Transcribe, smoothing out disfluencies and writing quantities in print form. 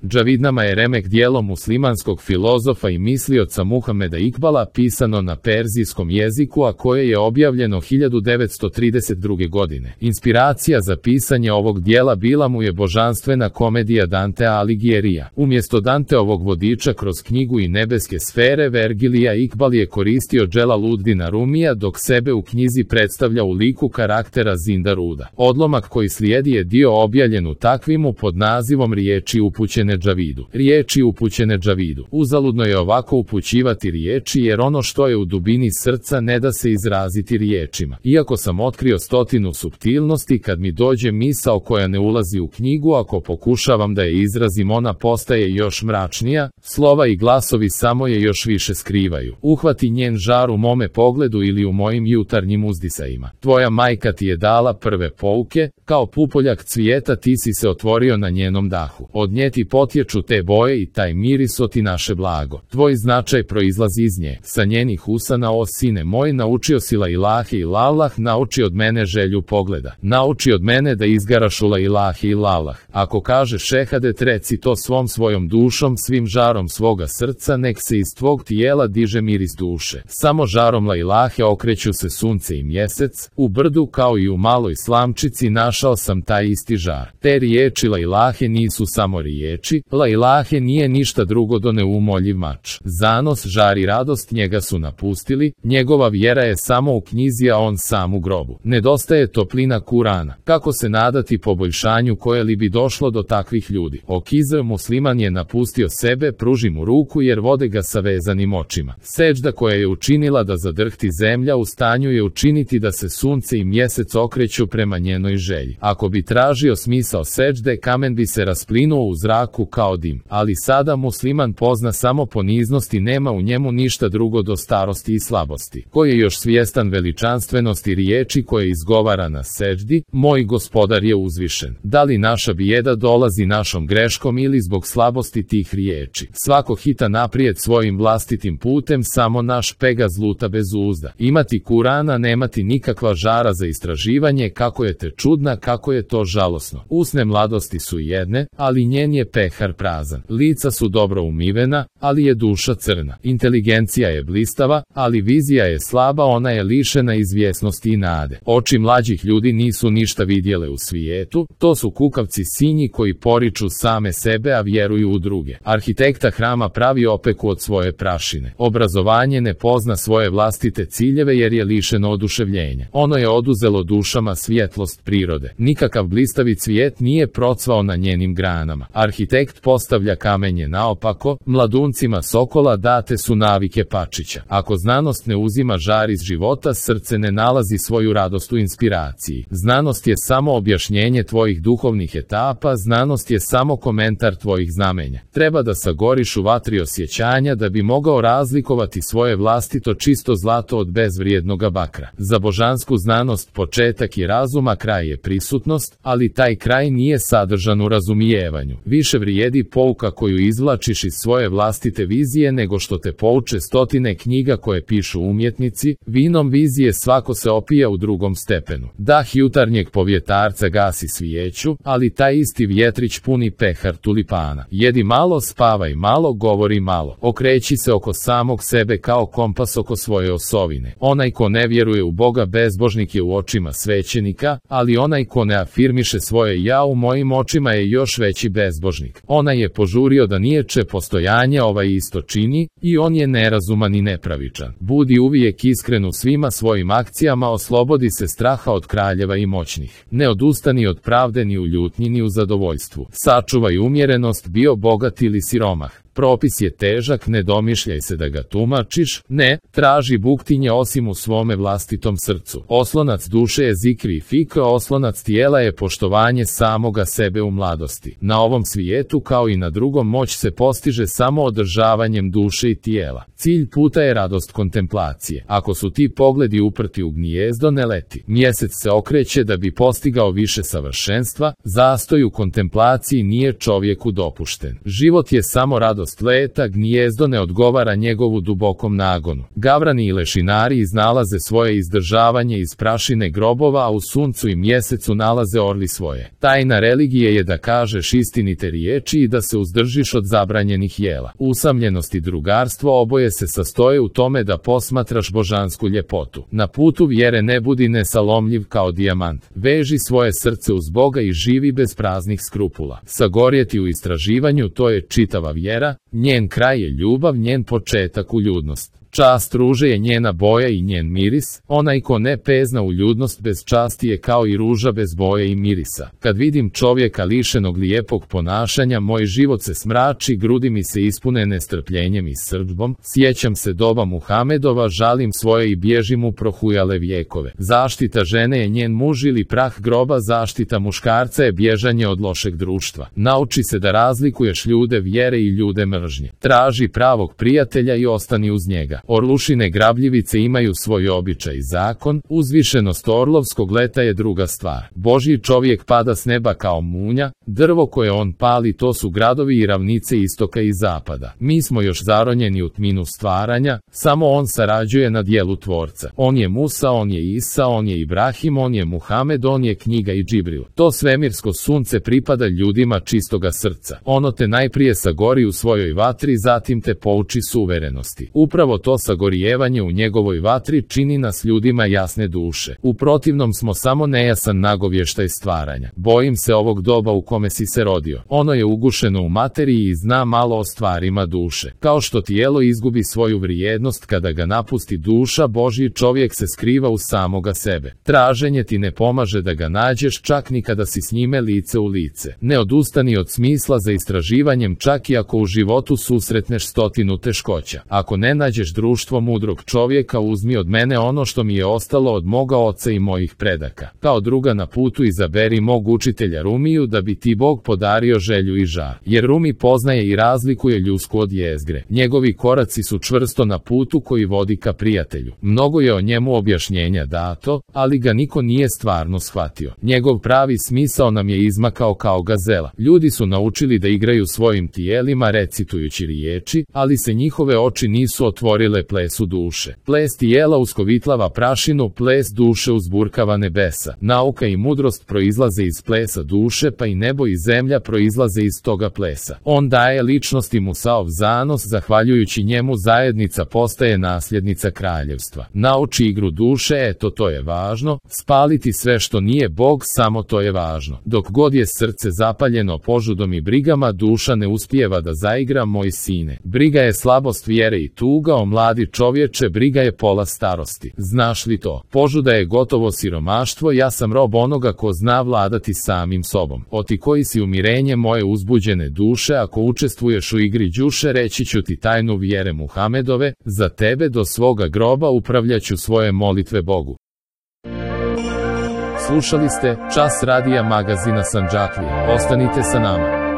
Džavidnama je remek dijelo muslimanskog filozofa i mislioca Muhameda Ikbala, pisano na perzijskom jeziku, a koje je objavljeno 1932. godine. Inspiracija za pisanje ovog dijela bila mu je božanstvena komedija Dantea Alighiera. Umjesto Danteovog vodiča kroz knjigu i nebeske sfere Vergilija, Ikbal je koristio Dželaluddina Rumija, dok sebe u knjizi predstavlja u liku karaktera Zindaruda. Odlomak koji slijedi je dio objavljen u Takvimu pod nazivom Riječi upućene Džavidu. Riječi upućene Džavidu. Uzaludno je ovako upućivati riječi, jer ono što je u dubini srca ne da se izraziti riječima. Iako sam otkrio 100 suptilnosti, kad mi dođe misao koja ne ulazi u knjigu, ako pokušavam da je izrazim, ona postaje još mračnija, slova i glasovi samo je još više skrivaju. Uhvati njen žar u mome pogledu ili u mojim jutarnjim uzdisajima. Tvoja majka ti je dala prve pouke, kao pupoljak cvijeta ti si se otvorio na njenom dahu. Od nje ti potječu te boje i taj miris ti naše blago. Tvoj značaj proizlazi iz nje. Sa njenih usana, o sine moj, naučio si la ilahe ilallah, nauči od mene želju pogleda. Nauči od mene da izgaraš u la ilahe ilallah. Ako kažeš šehadet, reci to svom svojom dušom, svim žarom svoga srca, nek se iz tvog tijela diže miris duše. Samo žarom la ilahe okreću se sunce i mjesec, u brdu kao i u maloj slamčici našao sam taj isti žar. Te riječi la ilahe nisu samo riječi, la ilahe nije ništa drugo do neumoljiv mač. Zanos, žar i radost njega su napustili, njegova vjera je samo u knjizi, a on sam u grobu. Nedostaje toplina Kurana. Kako se nadati poboljšanju koje li bi došlo do takvih ljudi? Okizr musliman je napustio sebe, pruži mu ruku jer vode ga sa vezanim očima. Seđda koja je učinila da zadrhti zemlja, u stanju je učiniti da se sunce i mjesec okreću prema njenoj želji. Ako bi tražio smisao seđde, kamen bi se rasplinuo u zraku kao dim. Ali sada musliman pozna samo poniznost i nema u njemu ništa drugo do starosti i slabosti. Ko je još svjestan veličanstvenosti riječi koje izgovara na seđdi, moj gospodar je uzvišen. Da li naša bijeda dolazi našom greškom ili zbog slabosti tih riječi? Svako hita naprijed svojim vlastitim putem, samo naš Pegaz luta bez uzda. Imati Kurana, nemati nikakva žara za istraživanje, kako je te čudna, kako je to žalosno. Usne mladosti su jedne, ali njen je pehar prazan. Lica su dobro umivena, ali je duša crna. Inteligencija je blistava, ali vizija je slaba, ona je lišena izvjesnosti i nade. Oči mlađih ljudi nisu ništa vidjele u svijetu, to su kukavci sinji koji poriču same sebe, a vjeruju u druge. Arhitekta hrama pravi opeku od svoje prašine. Obrazovanje ne pozna svoje vlastite ciljeve jer je lišeno oduševljenja. Ono je oduzelo dušama svjetlost prirode. Nikakav blistavi cvijet nije procvao na njenim granama. Arhitekt postavlja kamenje naopako, mladuncima sokola date su navike pačića. Ako znanost ne uzima žar iz života, srce ne nalazi svoju radost u inspiraciji. Znanost je samo objašnjenje tvojih duhovnih etapa, znanost je samo komentar tvojih znamenja. Treba da sagoriš u vatri osjećanja da bi mogao razlikovati svoje vlastito čisto zlato od bezvrijednoga bakra. Za božansku znanost početak je razuma, kraj je prisutnost, ali taj kraj nije sadržan u razumijevanju. Više vrijedi pouka koju izvlačiš iz svoje vlastite vizije nego što te pouče stotine knjiga koje pišu umjetnici. Vinom vizije svako se opija u drugom stepenu. Dah jutarnjeg povjetarca gasi svijeću, ali taj isti vjetrić puni pehar tulipana. Jedi malo, spavaj malo, govori malo. Okreći se oko samog sebe kao kompas oko svoje osovine. Onaj ko ne vjeruje u Boga bezbožnik je u očima svećenika, ali onaj ko ne afirmiše svoje ja u mojim očima je još veći bezbožnik. Onaj je požurio da niječe postojanje ovaj isto čini, i on je nerazuman i nepravičan. Budi uvijek iskren u svima svojim akcijama, oslobodi se straha od kraljeva i moćnih. Ne odustani od pravde ni u ljutnji ni u zadovoljstvu. Sačuvaj umjerenost, bio bogat ili siromah. Propis je težak, ne domišljaj se da ga tumačiš, ne, traži buktinje osim u svome vlastitom srcu. Oslonac duše je zikri i fikr, oslonac tijela je poštovanje samoga sebe u mladosti. Na ovom svijetu kao i na drugom moć se postiže samo održavanjem duše i tijela. Cilj puta je radost kontemplacije. Ako su ti pogledi uprti u gnijezdo, ne leti. Mjesec se okreće da bi postigao više savršenstva, zastoj u kontemplaciji nije čovjeku dopušten. Život je samo radost sumnjivost leta gnijezdo ne odgovara njegovu dubokom nagonu. Gavrani i lešinari iznalaze svoje izdržavanje iz prašine grobova, a u suncu i mjesecu nalaze orli svoje. Tajna religije je da kažeš istinite riječi i da se uzdržiš od zabranjenih jela. Usamljenost i drugarstvo oboje se sastoje u tome da posmatraš božansku ljepotu. Na putu vjere ne budi nesalomljiv kao dijamant. Veži svoje srce uz Boga i živi bez praznih skrupula. Sagorjeti u istraživanju, to je čitava vjera, njen kraj je ljubav, njen početak uljudnost. Čast ruže je njena boja i njen miris, onaj ko ne pezna uljudnost bez časti je kao i ruža bez boje i mirisa. Kad vidim čovjeka lišenog lijepog ponašanja, moj život se smrači, grudi mi se ispune nestrpljenjem i srdbom, sjećam se doba Muhamedova, žalim svoje i bježim u prohujale vjekove. Zaštita žene je njen muž ili prah groba, zaštita muškarca je bježanje od lošeg društva. Nauči se da razlikuješ ljude vjere i ljude mržnje. Traži pravog prijatelja i ostani uz njega. Orlušine grabljivice imaju svoj običaj i zakon, uzvišenost orlovskog leta je druga stvar. Božji čovjek pada s neba kao munja, drvo koje on pali to su gradovi i ravnice istoka i zapada. Mi smo još zaronjeni u tminu stvaranja, samo on sarađuje na djelu tvorca. On je Musa, on je Isa, on je Ibrahim, on je Muhamed, on je knjiga i Džibril. To svemirsko sunce pripada ljudima čistoga srca. Ono te najprije sagori u svojoj vatri, zatim te pouči suverenosti. Upravo to sagorijevanje u njegovoj vatri čini nas ljudima jasne duše. U protivnom smo samo nejasan nagovještaj stvaranja. Bojim se ovog doba u kome si se rodio. Ono je ugušeno u materiji i zna malo o stvarima duše. Kao što tijelo izgubi svoju vrijednost kada ga napusti duša, Božji čovjek se skriva u samoga sebe. Traženje ti ne pomaže da ga nađeš čak ni kada si s njime lice u lice. Ne odustani od smisla za istraživanjem čak i ako u životu susretneš 100 teškoća. Ako ne nađeš društvo mudrog čovjeka, uzmi od mene ono što mi je ostalo od moga oca i mojih predaka. Kao druga na putu izaberi mog učitelja Rumiju da bi ti Bog podario želju i žar. Jer Rumi poznaje i razlikuje ljusku od jezgre. Njegovi koraci su čvrsto na putu koji vodi ka prijatelju. Mnogo je o njemu objašnjenja dato, ali ga niko nije stvarno shvatio. Njegov pravi smisao nam je izmakao kao gazela. Ljudi su naučili da igraju svojim tijelima recitujući riječi, ali se njihove oči nisu otvorile plesu duše. Ples tijela uskovitlava prašinu, ples duše uzburkava nebesa. Nauka i mudrost proizlaze iz plesa duše, pa i nebo i zemlja proizlaze iz toga plesa. On daje ličnosti Musaov zanos, zahvaljujući njemu zajednica postaje nasljednica kraljevstva. Nauči igru duše, eto to je važno, spaliti sve što nije Bog, samo to je važno. Dok god je srce zapaljeno požudom i brigama, duša ne uspijeva da zaigra, moj sine. Briga je slabost vjere i tuga, o mladi čovječe, briga je pola starosti. Znaš li to? Požuda je gotovo siromaštvo, ja sam rob onoga ko zna vladati samim sobom. O ti koji si umirenje moje uzbuđene duše, ako učestvuješ u igri đuše, reći ću ti tajnu vjere Muhamedove, za tebe do svoga groba upravljaću svoje molitve Bogu. Slušali ste Čas radija magazina Sandžaklije. Ostanite sa nama.